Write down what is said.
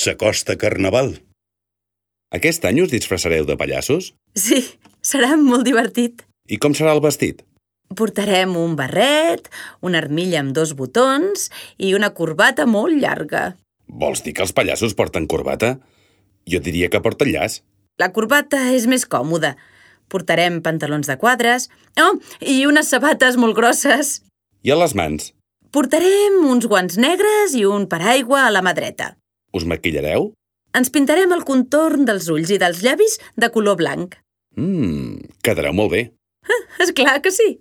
s'acosta Carnaval. Aquest any us disfressareu de pallassos? Sí, serà molt divertit. I com serà el vestit? Portarem un barret, una armilla amb 2 botons i una corbata molt llarga. Vols dir que els pallassos porten corbata? Jo diria que porten llaç. La corbata és més còmoda. Portarem pantalons de quadres i unes sabates molt grosses. I a les mans? Portarem uns guants negres i un paraigua a la mà dreta. Us maquillareu? Ens pintarem el contorn dels ulls i dels llavis de color blanc. Quedareu molt bé. És clar que sí.